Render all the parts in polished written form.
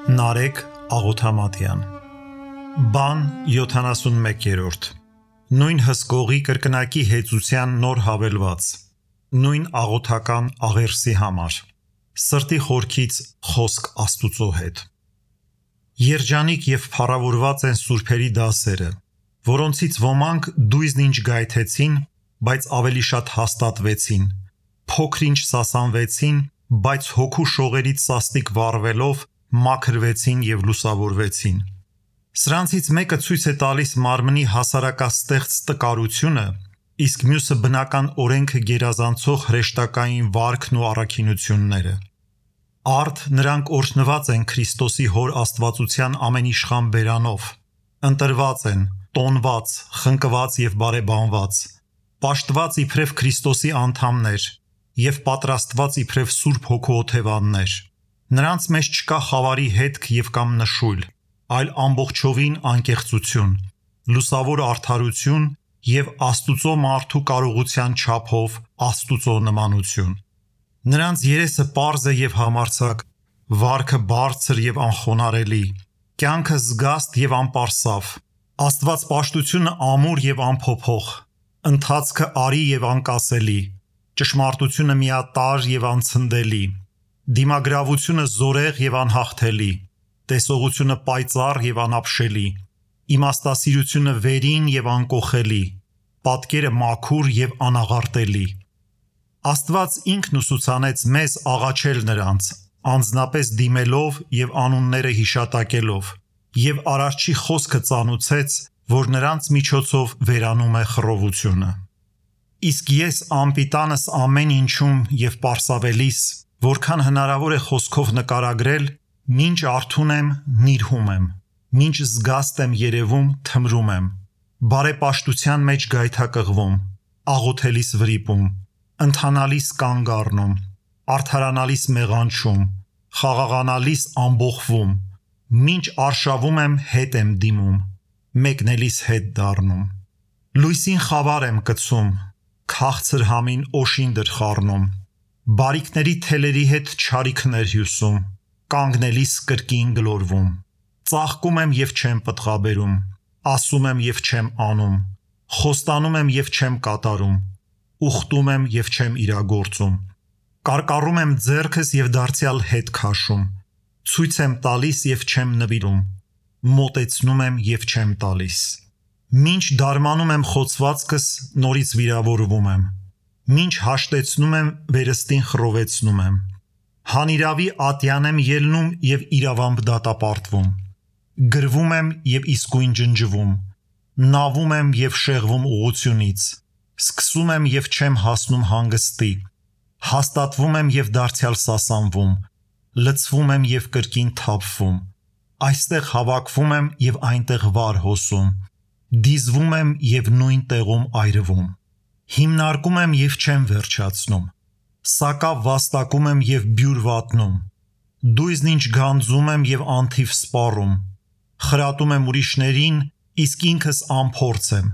Նարեկ Աղոթամատյան Բան 71-րդ Նույն հսկողի կրկնակի հեծության նոր հավելված Նույն աղոթական աղերսի համար Սրտի խորքից խոսք Աստուծո հետ Երջանիկ և փառավորված են սուրբերի դասերը, որոնցից ոմանք դույզն ինչ գայթեցին, բայց ավելի շատ հաստատվեցին, փոքր-ինչ սասանվեցին, բայց հոգու շողերից սաստիկ վառվելով մաքրվեցին և լուսավորվեցին։ Սրանցից մեկը ցույց է տալիս մարմնի հասարակաստեղծ տկարությունը, իսկ մյուսը բնական օրենքը գերազանցող հրեշտակային վարքն ու առաքինությունները։ Արդ նրանք օրհնված են Քրիստոսի Հոր աստվածության ամենիշխան բերանով, ընտրված են, տոնված, խնկված և բարեբանված, պաշտված իբրև Քրիստոսի անդամներ և պատրաստված իբրև Սուրբ Հոգու օթևաններ։ Նրանց մեջ չկա խավարի հետք և կամ նշույլ, այլ ամբողջովին անկեղծություն, լուսավոր արդարություն և Աստուծո մարդու կարողության չափով Աստուծո նմանություն։ Նրանց երեսը պարզ է և համարձակ, վարքը բարձր և անխոնարհելի, կյանքը զգաստ և անպարսավ, աստվածպաշտությունը ամուր և անփոփոխ, ընթացքը արի և անկասելի, ճշմարտությունը միատարր և անցնդելի, դիմագրավությունը զորեղ և անհաղթելի, տեսողությունը պայծառ և անապշելի, իմաստասիրությունը վերին և անկոխելի, պատկերը մաքուր և անաղարտելի։ Աստված ինքն ուսուցանեց մեզ աղաչել նրանց, անձնապես դիմելով և անունները հիշատակելով, և Արարչի խոսքը ծանուցեց, որ նրանց միջոցով վերանում է խռովությունը։ Իսկ ես անպիտանս ամեն ինչում և պարսավելիս, որքան հնարավոր է խոսքով նկարագրել, մինչ արթուն եմ, նիրհում եմ, մինչ զգաստ եմ երևում, թմրում եմ, բարեպաշտության մեջ գայթակղվում, աղոթելիս վրիպում, ընթանալիս կանգ առնում, արդարանալիս մեղանչում, խաղաղանալիս ամբոխվում, մինչ արշավում եմ հետ եմ դիմում, մեկնելիս հետ դառնում։ Լույսին խավար եմ կցում, քաղցր համին օշինդր խառնում, բարիքների թելերի հետ չարիքներ հյուսում, կանգնելիս կրկին գլորվում, ծաղկում եմ և չեմ պտղաբերում, ասում եմ և չեմ անում, խոստանում եմ և չեմ կատարում, ուխտում եմ և չեմ իրագործում, կարկառում եմ ձեռքս և դարձյալ հետ քաշում, ցույց եմ տալիս և չեմ նվիրում, մոտեցնում եմ և չեմ տալիս։ Մինչ դարմանում եմ խոցվածքս, նորից վիրավորվում եմ, մինչ հաշտեցնում եմ, վերստին խռովեցնում եմ, հանիրավի ատյան եմ ելնում և իրավամբ դատապարտվում, գրվում եմ և իսկույն ջնջվում, նավում եմ և շեղվում ուղղությունից, սկսում եմ և չեմ հասնում հանգստի, հաստատվում եմ և դարձյալ սասանվում, լցվում եմ և կրկին թափվում, այստեղ հավաքվում եմ և այնտեղ վար հոսում, դիզվում եմ և նույն տեղում այրվում, հիմնարկում եմ և չեմ վերջացնում, սակավ վաստակում եմ և բյուր վատնում, դույզն ինչ գանձում եմ և անթիվ սպառում, խրատում եմ ուրիշներին, իսկ ինքս անփորձ եմ,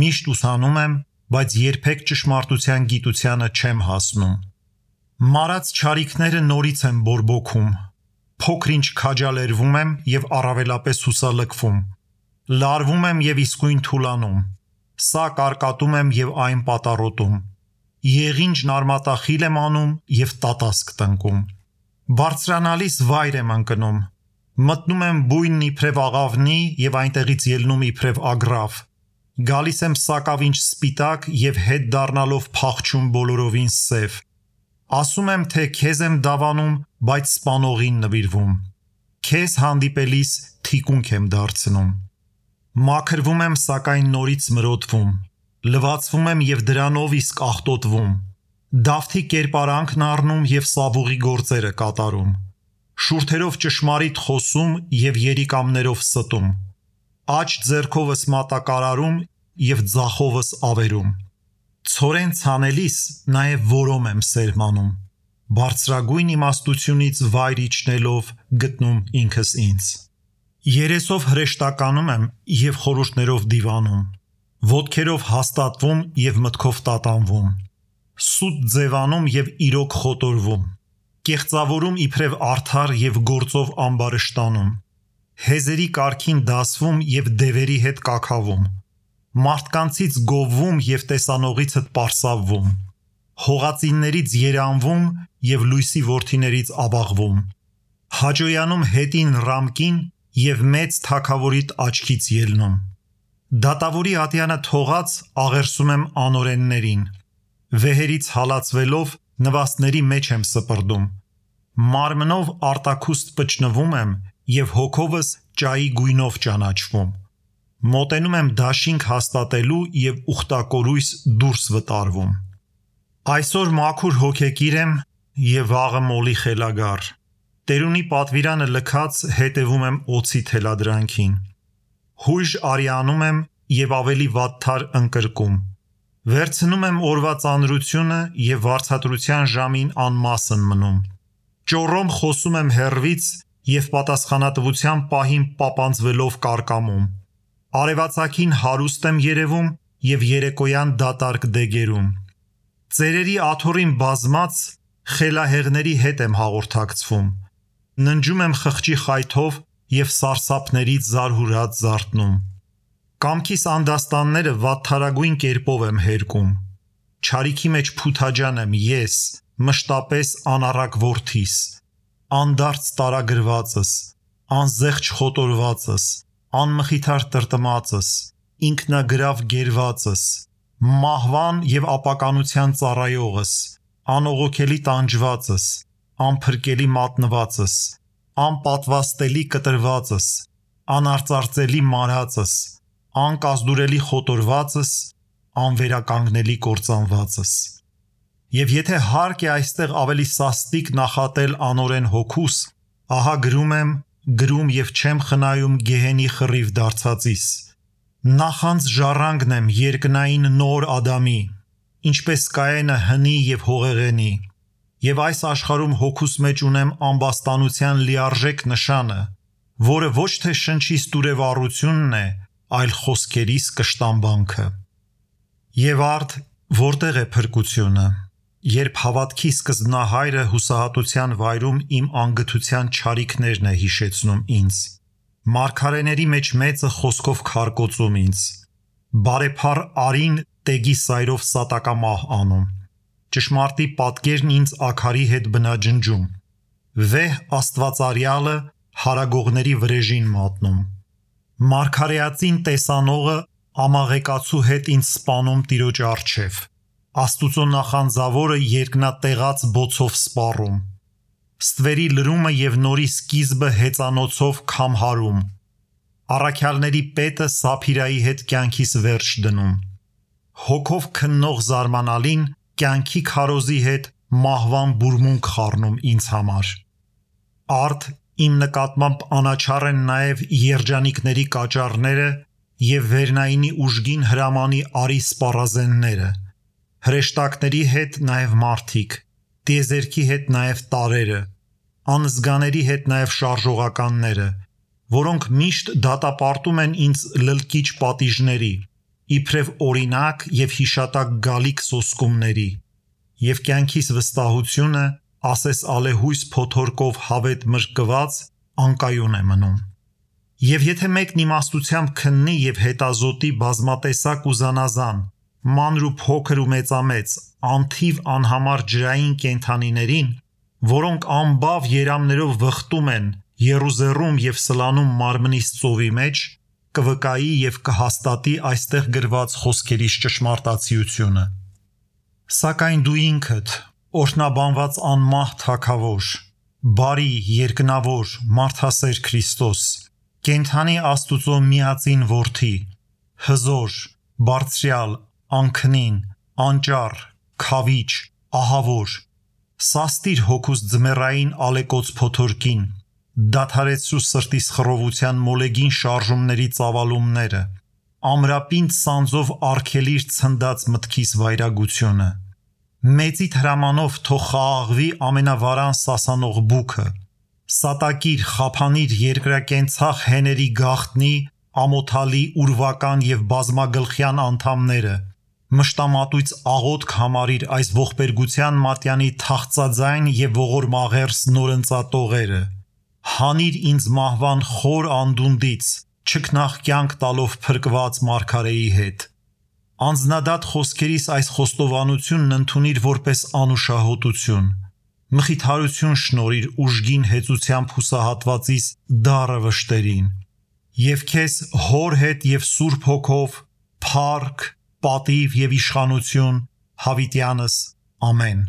միշտ ուսանում եմ, բայց երբեք ճշմարտության գիտությանը չեմ հասնում։ Մարած չարիքները նորից եմ բորբոքում, փոքր-ինչ քաջալերվում եմ և առավելապես հուսալքվում, լարվում եմ և իսկույն թուլանում, սա կարկատում եմ և այն պատառոտում, եղինջն արմատախիլ եմ անում և տատասկ տնկում, բարձրանալիս վայր եմ ընկնում, մտնում եմ բույնն իբրև աղավնի և այնտեղից ելնում իբրև ագռավ, գալիս եմ սակավ ինչ սպիտակ և հետ դառնալով փախչում բոլորովին սև, ասում եմ, թե քեզ եմ դավանում, բայց սպանողին նվիրվում, քեզ հանդիպելիս թիկունք եմ դարձնում, մաքրվում եմ, սակայն նորից մրոտվում, լվացվում եմ և դրանով իսկ աղտոտվում, դավթի կերպարանքն առնում և սավուղի գործերը կատարում, շուրթերով ճշմարիտ խոսում և երիկամներով ստում, աջ ձեռքովս մատակարարում և ձախովս ավերում, ցորեն ցանելիս նաև որոմ եմ սերմանում, բարձրագույն իմաստությունից վայր իջնելով գտնում ինքս ինձ։ Երեսով հրեշտականում եմ և խորհուրդներով դիվանում, ոտքերով հաստատվում և մտքով տատանվում, սուտ ձևանում և իրոք խոտորվում, կեղծավորում իբրև արդար եւ գործով ամբարշտանում, հեզերի կարգին դասվում եւ դևերի հետ կաքավում, մարդկանցից գովվում եւ տեսանողիցդ պարսավվում, հողածիններից երանվում եւ լույսի որդիներից աբաղվում, հաջոյանում հետին ռամկին եւ մեծ թագավորիդ աչքից ելնում, դատավորի ատյանը թողած աղերսում եմ անօրեններին, վեհերից հալածվելով նվաստների մեջ եմ սպրդում, մարմնով արտաքուստ պճնվում եմ եւ հոգովս ճայի գույնով ճանաչվում, մոտենում եմ դաշինք հաստատելու եւ ուխտակորույս դուրս վտարվում, այսօր մաքուր հոգեկիր եմ եւ վաղը մոլի խելագար, տերունի պատվիրանը լքած հետևում եմ օծի թելադրանքին, հույժ արյանում եմ եւ ավելի վատթար ընկրկում, վերցնում եմ օրվա ծանրությունը եւ վարձատրության ժամին անմասն մնում, ճոռոմ խոսում եմ հեռվից եւ պատասխանատվության պահին պապանձվելով կարկամում, արևածագին հարուստ եմ երևում եւ երեկոյան դատարկ դեգերում, ծերերի աթոռին բազմած խելահեղների հետ եմ հաղորդակցվում, ննջում եմ խղճի խայթով եւ սարսափներից զարհուրած զարթնում, կամքիս անդաստանները վատթարագույն կերպով եմ հերկում, չարիքի մեջ փութաջան եմ ես, մշտապես անառակ որդիս, անդարձ տարագրվածս, անզեղչ խոտորվածս, անմխիթար տրտմածս, ինքնագրավ գերվածս, մահվան եւ ապականության ծառայողս, անողոքելի տանջվածս, անփրկելի մատնվածս, անպատվաստելի կտրվածս, անարծարծելի մարածս, անկազդուրելի խոտորվածս, անվերականգնելի կործանվածս, եւ եթե հարկ է այստեղ ավելի սաստիկ նախատել անօրեն հոգուս, ահա գրում եւ չեմ խնայում գեհենի խռիվ դարձածիս, նախանց ժառանգն եմ երկնային նոր Ադամի, ինչպես Կայենը հնի եւ հողեղենի, եւ այս աշխարհում հոգուս մեջ ունեմ ամբաստանության լիարժեք նշանը, որը ոչ թե շնչիս տուրևառությունն է, այլ խոսքերիս կշտամբանքը։ Եվ արդ որտեղ է փրկությունը, երբ հավատքի սկզբնահայրը հուսահատության վայրում իմ անգթության չարիքներն է հիշեցնում ինձ, մարգարեների մեջ մեծը խոսքով քարկոծում ինձ, բարեփառ արին տեգի սայրով սատակամահ անում, ճշմարտի պատկերն ինձ աքարի հետ բնաջնջում, վեհ աստվածարյալը հարագողների վրեժին մատնում, մարգարեածին տեսանողը ամաղեկացու հետ ինձ սպանում տիրոջ առջև, Աստուծո նախանձավորը երկնատեղած բոցով սպառում, ստվերի լրումը եւ նորի սկիզբը հեծանոցով քամհարում, առաքյալների պետը Սափիրայի հետ կյանքիս վերջ դնում, հոգով քննող զարմանալին կյանքի քարոզի հետ մահվան բուրմունք խառնում ինձ համար, արդ իմ նկատմամբ անաչառ են նաեւ երջանիկների կաճառները եւ վերնայինի ուժգին հրամանի արի սպառազենները, հրեշտակների հետ նաև մարդիկ, տիեզերքի հետ նաև տարերը, անզգաների հետ նաև շարժողականները, որոնք միշտ դատապարտում են ինձ լլկիչ պատիժների, իբրև օրինակ եւ հիշատակ գալիք սոսկումների, եւ կյանքիս վստահությունը, ասես ալեհույս փոթորկով հավետ մրկված, անկայուն է մնում։ Եվ եթե մեկն իմաստությամբ քննի եւ հետազոտի բազմատեսակ ու զանազան, մանր ու փոքր ու մեծամեծ, անթիվ անհամար ջրային կենդանիներին, որոնք ամբավ երամներով վխտում են, եռուզեռում եւ սլանում մարմնիս ծովի մեջ, կվկայի եւ կհաստատի այստեղ գրված խոսքերից ճշմարտացիությունը։ Սակայն դու ինքդ, օրհնաբանված անմահ թագավոր, բարի, երկնավոր, մարդասեր Քրիստոս, կենդանի Աստուծո միածին որդի, հզոր, բարձրյալ, անքնին, անճառ, քավիչ, ահավոր, սաստիր հոգուս ձմեռային ալեկոծ փոթորկին, դադարեցրու սրտիս խռովության մոլեգին շարժումների ծավալումները, ամրապինդ սանձով արգելիր ցնդած մտքիս վայրագությունը, մեծիդ հրամանով թող խաղաղվի ամենավարան սասանող բուքը, սատակիր, խափանիր երկրակենցաղ հեների գաղտնի, ամոթալի, ուրվական եւ բազմագլխյան անդամները, Մշտամատույց աղոթք համարիր այս ողբերգության մատյանի թախծաձայն եւ ողորմաղերս նորընծատողերը։ Հանիր ինձ մահվան խոր անդունդից, չքնաղ կյանք տալով փրկված մարգարեի հետ։ Անձնադատ խոսքերիս այս խոստովանությունն ընդունիր որպես անուշահոտություն։ Մխիթարություն շնորհիր ուժգին հեծությամբ հուսահատվածիս դառը վշտերին։ Եվ քեզ հոր հետ եւ Սուրբ Հոգով փառք, պատիվ եւ իշխանություն հավիտյանս ամեն։